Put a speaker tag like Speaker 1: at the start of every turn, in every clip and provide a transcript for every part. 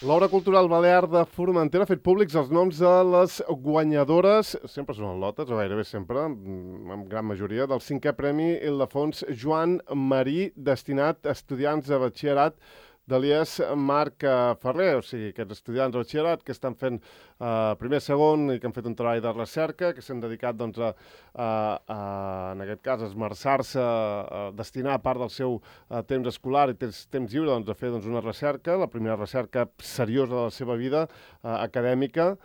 Speaker 1: L'Obra Cultural Balear de Formentera ha fet públics els noms de les guanyadores, sempre són lotes, o gairebé sempre, en gran majoria, del 5è Premi Ildefons Joan Marí, destinat a estudiants de batxillerat de l'IES Marc Ferrer, o sigui, aquests estudiants de batxillerat que estan fent primer, segon i que han fet un treball de recerca, que s'han dedicat, doncs, en aquest cas, a esmerçar-se, a destinar part del seu temps escolar i temps lliure doncs, a fer una recerca, la primera recerca seriosa de la seva vida acadèmica,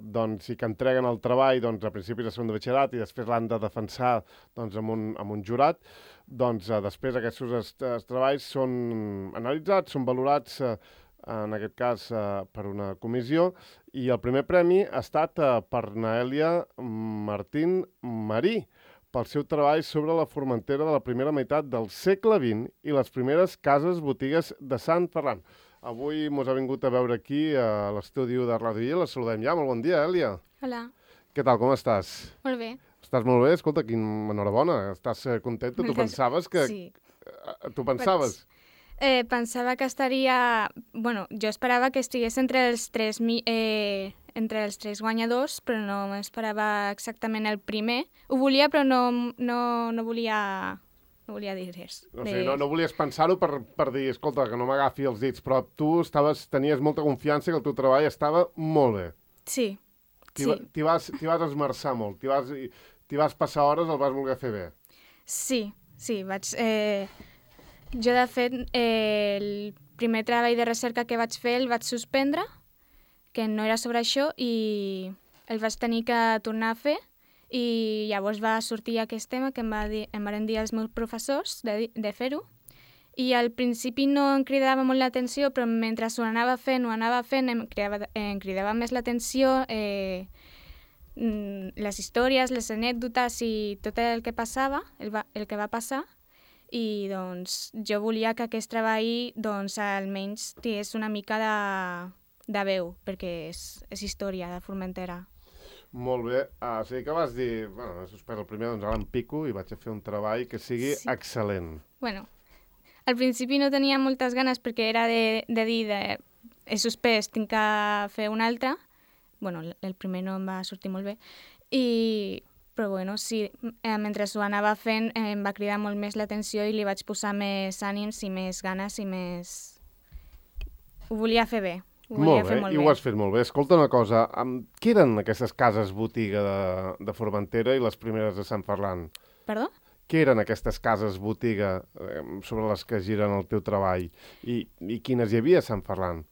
Speaker 1: doncs, i que entreguen el treball a principis de segon de batxillerat i després l'han de defensar amb un jurat. Doncs després aquests treballs són analitzats, són valorats en aquest cas per una comissió, i el primer premi ha estat per Naèlia Martín Marí, pel seu treball sobre la Formentera de la primera meitat del segle XX i les primeres cases-botigues de Sant Ferran. Avui mos ha vingut a veure aquí a l'estudi de Ràdio I, la saludem ja. Molt bon dia, Èlia.
Speaker 2: Hola.
Speaker 1: Què tal, com estàs?
Speaker 2: Molt bé.
Speaker 1: Estàs molt bé? Escolta, enhorabona. Estàs contenta? Tu pensaves que...
Speaker 2: Sí.
Speaker 1: Tu pensaves?
Speaker 2: Pensava que estaria... Bueno, jo esperava que estigués entre els tres guanyadors, però no m'esperava exactament el primer. Ho volia, però no volia dir res.
Speaker 1: O sigui, no volies pensar-ho per dir, escolta, que no m'agafi els dits, però tu tenies molta confiança que el teu treball estava molt bé.
Speaker 2: Sí.
Speaker 1: T'hi vas esmerçar molt, t'hi vas passar hores, el vas voler fer bé.
Speaker 2: Sí, vaig... Jo, de fet, el primer treball de recerca que vaig fer el vaig suspendre, que no era sobre això, i el vaig tenir que tornar a fer, i llavors va sortir aquest tema que em van dir els meus professors de fer-ho, i al principi no em cridava molt l'atenció, però mentre ho anava fent em cridava més l'atenció les històries, les anècdotes i tot el que passava, el que va passar, i doncs jo volia que aquest treball doncs almenys tingués una mica de veu, perquè és història de Formentera.
Speaker 1: Molt bé. O sigui que vas dir, bueno, he suspès el primer, doncs ara em pico i vaig a fer un treball que sigui excel·lent.
Speaker 2: Bueno, al principi no tenia moltes ganes perquè era de dir, he suspès, tinc que fer un altre. Bueno, el primer no em va sortir molt bé. Però bueno, sí, mentre ho anava fent em va cridar molt més l'atenció i li vaig posar més ànims i més ganes i més... Ho volia fer bé.
Speaker 1: Molt bé, i ho has fet molt bé. Escolta una cosa, què eren aquestes cases botiga de Formentera i les primeres de Sant Ferran?
Speaker 2: Perdó?
Speaker 1: Què eren aquestes cases botiga sobre les que giren el teu treball? I quines hi havia a Sant Ferran?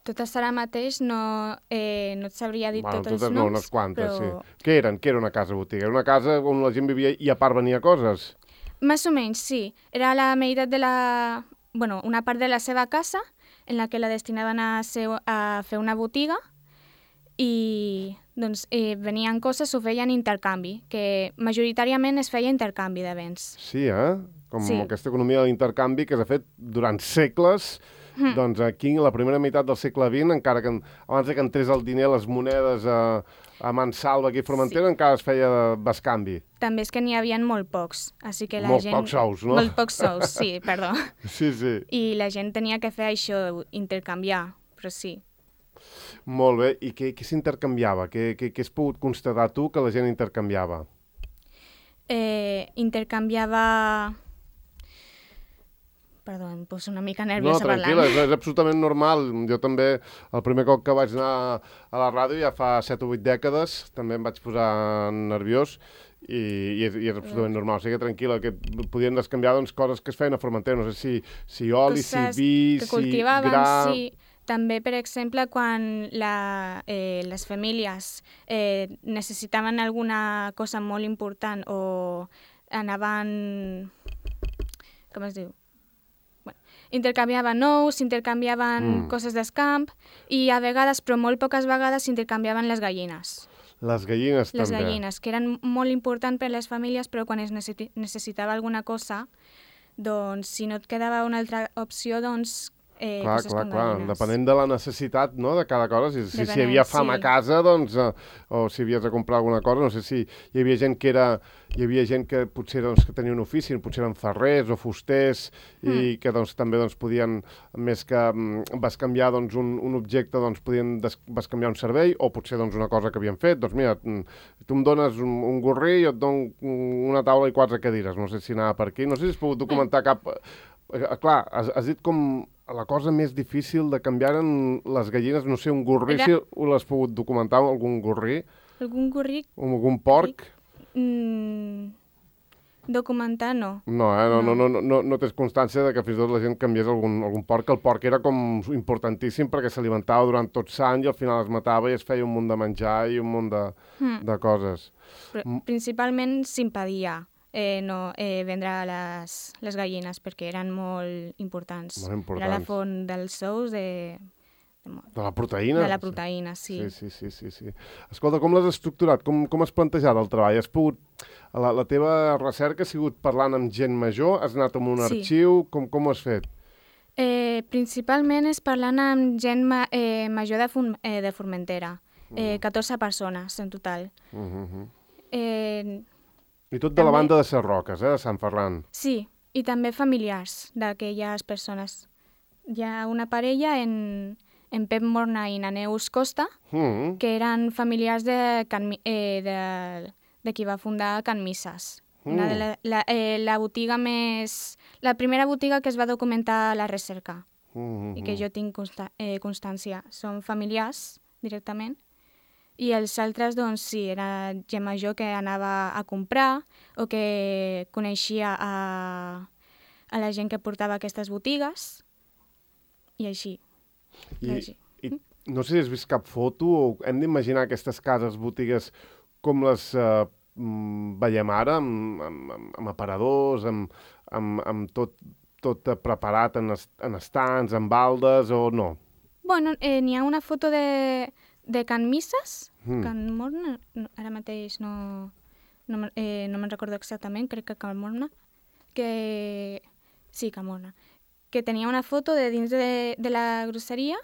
Speaker 2: Totes ara mateix no et sabria dir tots els noms.
Speaker 1: No, unes quantes,
Speaker 2: però...
Speaker 1: sí. Què era una casa botiga? Era una casa on la gent vivia i a part venia coses?
Speaker 2: Més o menys, sí. Era la meitat de una part de la seva casa, en la que la destinaven a fer una botiga, i doncs venien coses, ho feien intercanvi, que majoritàriament es feia intercanvi de béns.
Speaker 1: Sí, com aquesta economia de l'intercanvi que s'ha fet durant segles. Doncs aquí, la primera meitat del segle XX, encara que abans que entrés el diner, les monedes a mansalva aquí a Formentera, encara es feia bescanvi.
Speaker 2: També és que n'hi havia molt pocs, així que
Speaker 1: Pocs sous, no?
Speaker 2: Molt pocs sous, sí, perdó.
Speaker 1: Sí.
Speaker 2: I la gent tenia que fer això, intercanviar, però sí.
Speaker 1: Molt bé, i què s'intercanviava? Què has pogut constatar tu que la gent intercanviava?
Speaker 2: Intercanviava... Perdó, em poso una mica nerviosa parlant.
Speaker 1: No, tranquil·la, és absolutament normal. Jo també, el primer cop que vaig anar a la ràdio, ja fa 7 o 8 dècades, també em vaig posar nerviós i és absolutament normal. O sigui que tranquil·la, que podien descanviar coses que es feien a Formentera, no sé si oli, si vi, si gra...
Speaker 2: Sí. També, per exemple, quan les famílies necessitaven alguna cosa molt important o anaven... Com es diu? Intercanviaven ous, intercanviaven coses d'escamp i a vegades, però molt poques vegades, intercanviaven les gallines.
Speaker 1: Les gallines també.
Speaker 2: Les gallines, que eren molt importants per a les famílies, però quan es necessitava alguna cosa, doncs si no et quedava una altra opció, doncs
Speaker 1: Clar,
Speaker 2: coses
Speaker 1: clar,
Speaker 2: con
Speaker 1: clar.
Speaker 2: gallines.
Speaker 1: Depenent de la necessitat, no?, de cada cosa. Si hi
Speaker 2: Depenent,
Speaker 1: havia fam a
Speaker 2: sí.
Speaker 1: casa, doncs, o si havies de comprar alguna cosa, no sé si hi havia gent que hi havia gent que potser doncs, que tenia un ofici, potser eren ferrers o fusters, i que doncs, també doncs, podien, més que bescanviar doncs, un objecte, doncs, podien bescanviar un servei, o potser doncs, una cosa que havien fet. Doncs mira, tu em dones un gorrí i jo et dono una taula i 4 cadires. No sé si anava per aquí. No sé si has pogut documentar cap... Clar, has dit com la cosa més difícil de canviar en les gallines, no sé, un gorrí, si l'has pogut documentar, algun gorrí,
Speaker 2: Algun gorrí...
Speaker 1: algun porc?
Speaker 2: Documentar no.
Speaker 1: No tens constància de que fins i tot la gent canviés algun porc, que el porc era com importantíssim perquè s'alimentava durant tots anys i al final es matava i es feia un munt de menjar i un munt de coses.
Speaker 2: Però principalment s'impedia vendre les gallines perquè eren molt importants.
Speaker 1: Molt importants.
Speaker 2: Era la font dels ous
Speaker 1: de la proteïna?
Speaker 2: De la proteïna, sí.
Speaker 1: Sí. Escolta, com l'has estructurat? Com has plantejat el treball? Has pogut... La teva recerca ha sigut parlant amb gent major? Has anat amb un arxiu? Com ho has fet?
Speaker 2: Principalment és parlant amb gent major de Formentera. 14 persones en total.
Speaker 1: I tot de la banda de Sarroques, de Sant Ferran.
Speaker 2: Sí, i també familiars d'aquelles persones. Hi ha una parella en Pep Morna i na Neus Costa, que eren familiars de qui va fundar Can Misses. La botiga més... La primera botiga que es va documentar a la recerca i que jo tinc constància. Són familiars, directament. I els altres, doncs, sí, era gent major que anava a comprar o que coneixia a la gent que portava aquestes botigues i així.
Speaker 1: I no sé si has vist cap foto o hem d'imaginar aquestes cases, botigues, com les veiem ara, amb aparadors, amb tot preparat en estants, en baldes o no?
Speaker 2: Bueno, n'hi ha una foto de Can Misses, Can Morna, ara mateix no me'n recordo exactament, crec que Can Morna, sí, Can Morna, que tenia una foto de dins de la grosseria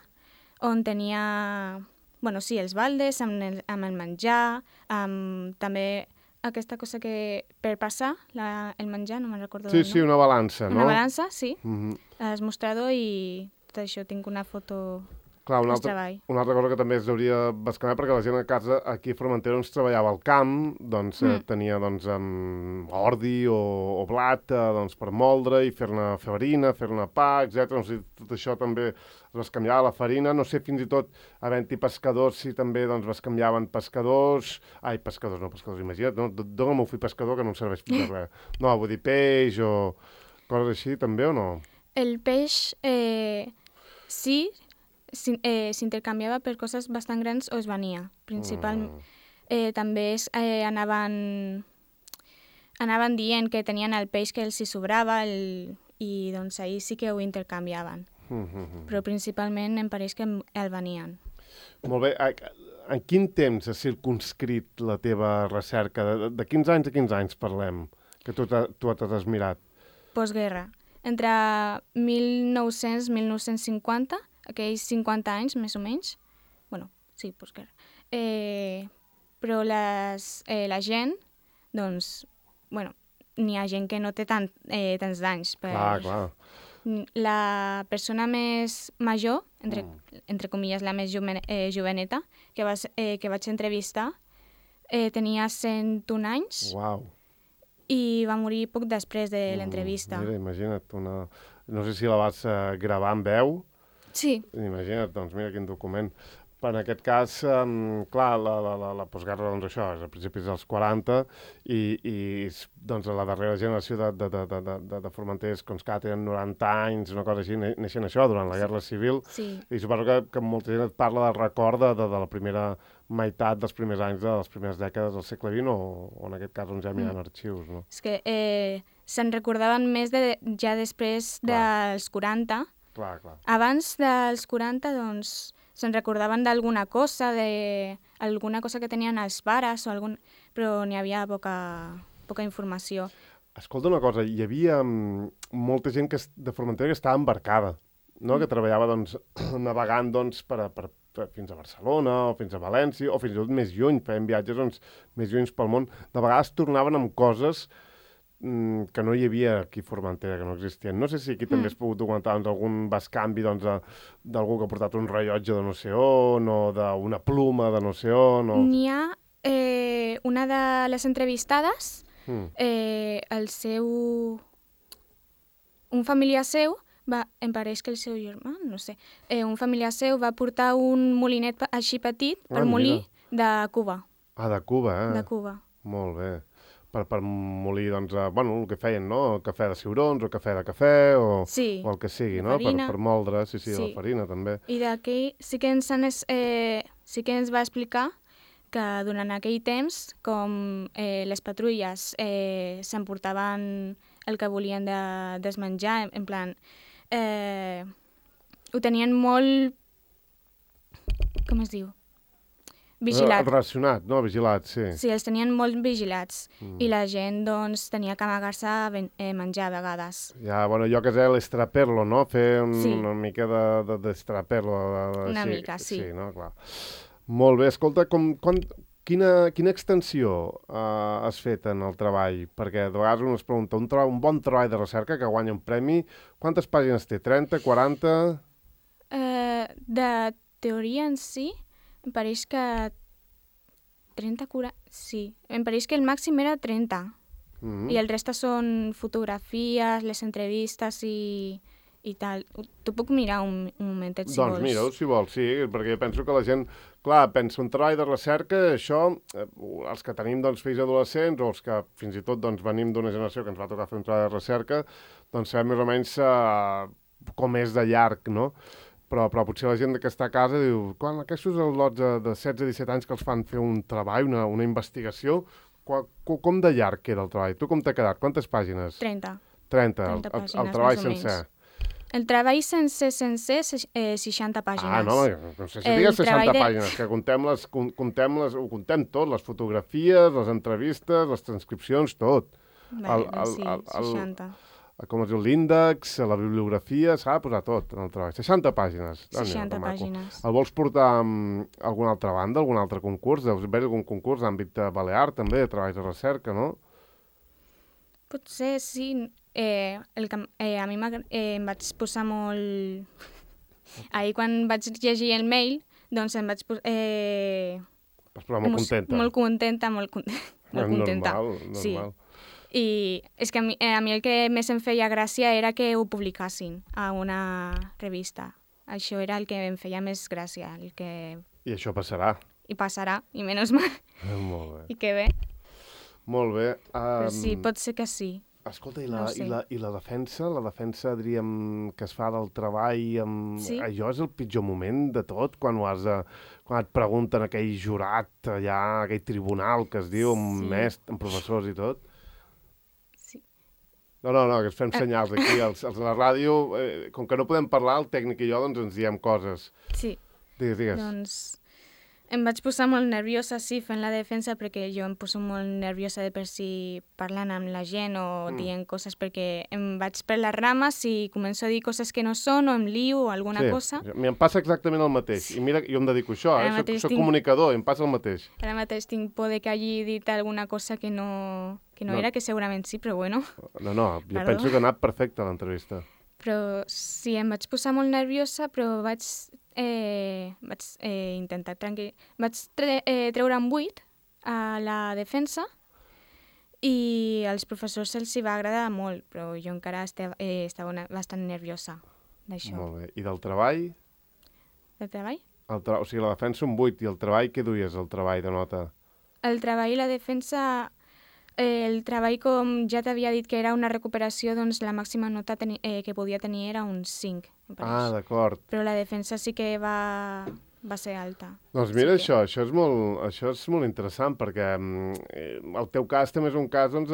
Speaker 2: on tenia, bueno, sí, els baldes amb el menjar, amb també aquesta cosa que per passar el menjar, no me'n recordo del nom.
Speaker 1: Sí, una balança, no?
Speaker 2: Una balança, sí, el mostrador i tot això, tinc una foto...
Speaker 1: Clar, una altra cosa que també es hauria bescanviar, perquè la gent a casa aquí a Formentera doncs, treballava al camp, doncs tenia ordi o blat doncs, per moldre i fer-ne farina, fer-ne pa, etc. Doncs, tot això també es bescanviava la farina. No sé, fins i tot, havent-hi pescadors, si també doncs, bescanviaven pescadors... Ai, pescadors, imagina't, no? Dóna'm un fill pescador que no em serveix per res. No, vull dir peix o coses així, també, o no?
Speaker 2: El peix, sí, s'intercanviava per coses bastant grans o es venia, principalment. També anaven dient que tenien el peix que els hi sobrava i doncs ahir sí que ho intercanviaven. Però principalment em pareix que el venien.
Speaker 1: Molt bé. En quin temps has circumscrit la teva recerca? De quins anys a quins anys parlem que tu t'has mirat?
Speaker 2: Postguerra. Entre 1900 i 1950, aquells 50 anys, més o menys. Bueno, sí, postguerra. Però la gent, doncs, bueno, n'hi ha gent que no té tants d'anys.
Speaker 1: Clar.
Speaker 2: La persona més major, entre comilles, la més joveneta, que vaig entrevistar, tenia 101 anys.
Speaker 1: Uau.
Speaker 2: I va morir poc després de l'entrevista.
Speaker 1: Mira, imagina't, no sé si la vas gravar en veu.
Speaker 2: Sí.
Speaker 1: Imagina't, doncs mira quin document. En aquest cas, clar, la postguerra, doncs això, és a principis dels 40 i doncs la darrera generació de formenters que tenen 90 anys, una cosa així, neixen això durant la Guerra Civil.
Speaker 2: Sí.
Speaker 1: I suposo que molta gent et parla del record de la primera meitat dels primers anys de les primeres dècades del segle XX o en aquest cas on ja hi ha arxius, no?
Speaker 2: És que se'n recordaven més ja després dels 40.
Speaker 1: Clar.
Speaker 2: Abans dels 40, doncs, se'n recordaven d'alguna cosa, alguna cosa que tenien els pares, però n'hi havia poca informació.
Speaker 1: Escolta una cosa, hi havia molta gent de Formentera que estava embarcada. no? Que treballava doncs, navegant doncs, fins a Barcelona o fins a València o fins i tot més lluny, feien viatges doncs, més lluny pel món. De vegades tornaven amb coses que no hi havia aquí a Formentera, que no existien. No sé si aquí també has pogut documentar doncs, algun bescanvi doncs, d'algú que ha portat un rellotge de no sé on o d'una pluma de no sé on. O...
Speaker 2: N'hi ha una de les entrevistades, el seu... Un familiar seu, em pareix que el seu germà, no sé, un familiar seu va portar un molinet així petit per molir de Cuba.
Speaker 1: Ah, de Cuba, eh?
Speaker 2: De Cuba.
Speaker 1: Molt bé. Per molir, doncs, el que feien, no? El cafè de ciurons, o cafè de cafè, o el que sigui, no? Per moldre, sí, la farina, també.
Speaker 2: I d'aquell sí que sí que ens va explicar que durant aquell temps, com les patrulles s'emportaven el que volien desmenjar, en plan, ho tenien molt... Com es diu? Vigilat.
Speaker 1: Relacionat, no? Vigilat, sí.
Speaker 2: Sí, els tenien molt vigilats. I la gent, doncs, tenia que amagar-se a menjar a vegades.
Speaker 1: Ja, bueno, jo que sé, l'estraperlo, no? Fer una mica d'estraperlo.
Speaker 2: Una mica, sí.
Speaker 1: Sí, no? Clar. Molt bé. Escolta, quina extensió has fet en el treball? Perquè de vegades un es pregunta, un bon treball de recerca que guanya un premi, quantes pàgines té? 30, 40?
Speaker 2: De teoria en si, em pareix que 30, 40... Sí, em pareix que el màxim era 30. I el resta són fotografies, les entrevistes i tal. T'ho puc mirar un momentet, si vols.
Speaker 1: Doncs mira-ho, si vols, sí, perquè penso que la gent, clar, pensa un treball de recerca, això, els que tenim doncs, fills adolescents o els que fins i tot doncs, venim d'una generació que ens va tocar fer un treball de recerca, doncs sabem més o menys com és de llarg, no? Però potser la gent que està a casa diu, quan aquests lots de 16-17 anys que els fan fer un treball, una investigació, com de llarg queda el treball? Tu com t'ha quedat? Quantes pàgines?
Speaker 2: 30.
Speaker 1: 30
Speaker 2: pàgines,
Speaker 1: el treball sencer.
Speaker 2: El treball sencer, 60 pàgines.
Speaker 1: Ah, no, no sé si digues 60 pàgines, que ho contem tot, les fotografies, les entrevistes, les transcripcions, tot.
Speaker 2: Bé, sí, 60.
Speaker 1: Com es diu, l'índex, la bibliografia, s'ha de posar tot en el treball. 60 pàgines.
Speaker 2: 60 pàgines.
Speaker 1: El vols portar a alguna altra banda, algun altre concurs? Deus haver algun concurs d'àmbit balear, també, de treballs de recerca, no?
Speaker 2: Potser sí. A mi em vaig posar molt... Ahir, quan vaig llegir el mail, doncs em vaig posar...
Speaker 1: Vas posar molt contenta.
Speaker 2: Molt contenta, molt contenta.
Speaker 1: Normal.
Speaker 2: Sí. I és que a mi el que més em feia gràcia era que ho publicassin a una revista. Això era el que em feia més gràcia.
Speaker 1: I això passarà.
Speaker 2: I passarà, i menys mal.
Speaker 1: Molt bé.
Speaker 2: I que bé.
Speaker 1: Molt bé.
Speaker 2: Però sí, pot ser que sí.
Speaker 1: Escolta, i la defensa, diríem, que es fa del treball,
Speaker 2: sí?
Speaker 1: Allò és el pitjor moment de tot, quan et pregunten aquell jurat allà, aquell tribunal que es diu, amb professors i tot. No, que ens fem senyals aquí, els de la ràdio, com que no podem parlar, el tècnic i jo, doncs ens diem coses.
Speaker 2: Sí.
Speaker 1: Digues.
Speaker 2: Doncs em vaig posar molt nerviosa, sí, fent la defensa, perquè jo em poso molt nerviosa de per si parlant amb la gent o dient coses, perquè em vaig per les rames i començo a dir coses que no són o em lio o alguna cosa.
Speaker 1: Sí, em passa exactament el mateix. I mira, jo em dedico a això, soc comunicador, em passa el mateix.
Speaker 2: Ara mateix tinc por de que hagi dit alguna cosa que no era, que segurament sí, però bueno.
Speaker 1: No, jo penso que ha anat perfecte l'entrevista.
Speaker 2: Però sí, em vaig posar molt nerviosa, però vaig intentar tranquil. Vaig treure un 8 a la defensa i als professors els hi va agradar molt, però jo encara estava bastant nerviosa d'això.
Speaker 1: Molt bé. I del treball?
Speaker 2: Del treball?
Speaker 1: O sigui, la defensa un 8 i el treball, què duies, el treball de nota?
Speaker 2: El treball i la defensa... El treball, com ja t'havia dit que era una recuperació, doncs la màxima nota que podia tenir era un 5.
Speaker 1: Ah, d'acord.
Speaker 2: Però la defensa sí que va ser alta.
Speaker 1: Doncs mira, això és molt interessant, perquè el teu cas també és un cas, doncs,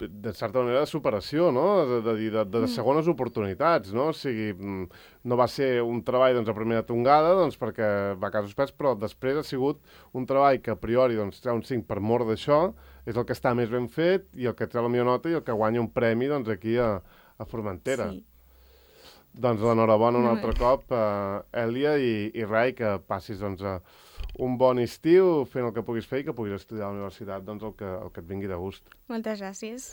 Speaker 1: de certa manera, de superació, no? De segones oportunitats, no? O sigui, no va ser un treball doncs, a primera tongada, doncs, perquè va a casos pets, però després ha sigut un treball que a priori doncs, treu un 5 per mort d'això, és el que està més ben fet i el que treu la millor nota i el que guanya un premi doncs, aquí a Formentera.
Speaker 2: Sí.
Speaker 1: Doncs l'enhorabona un altre cop, Èlia i Rai, que passis doncs, un bon estiu fent el que puguis fer i que puguis estudiar a la universitat doncs, el que et vingui de gust.
Speaker 2: Moltes gràcies.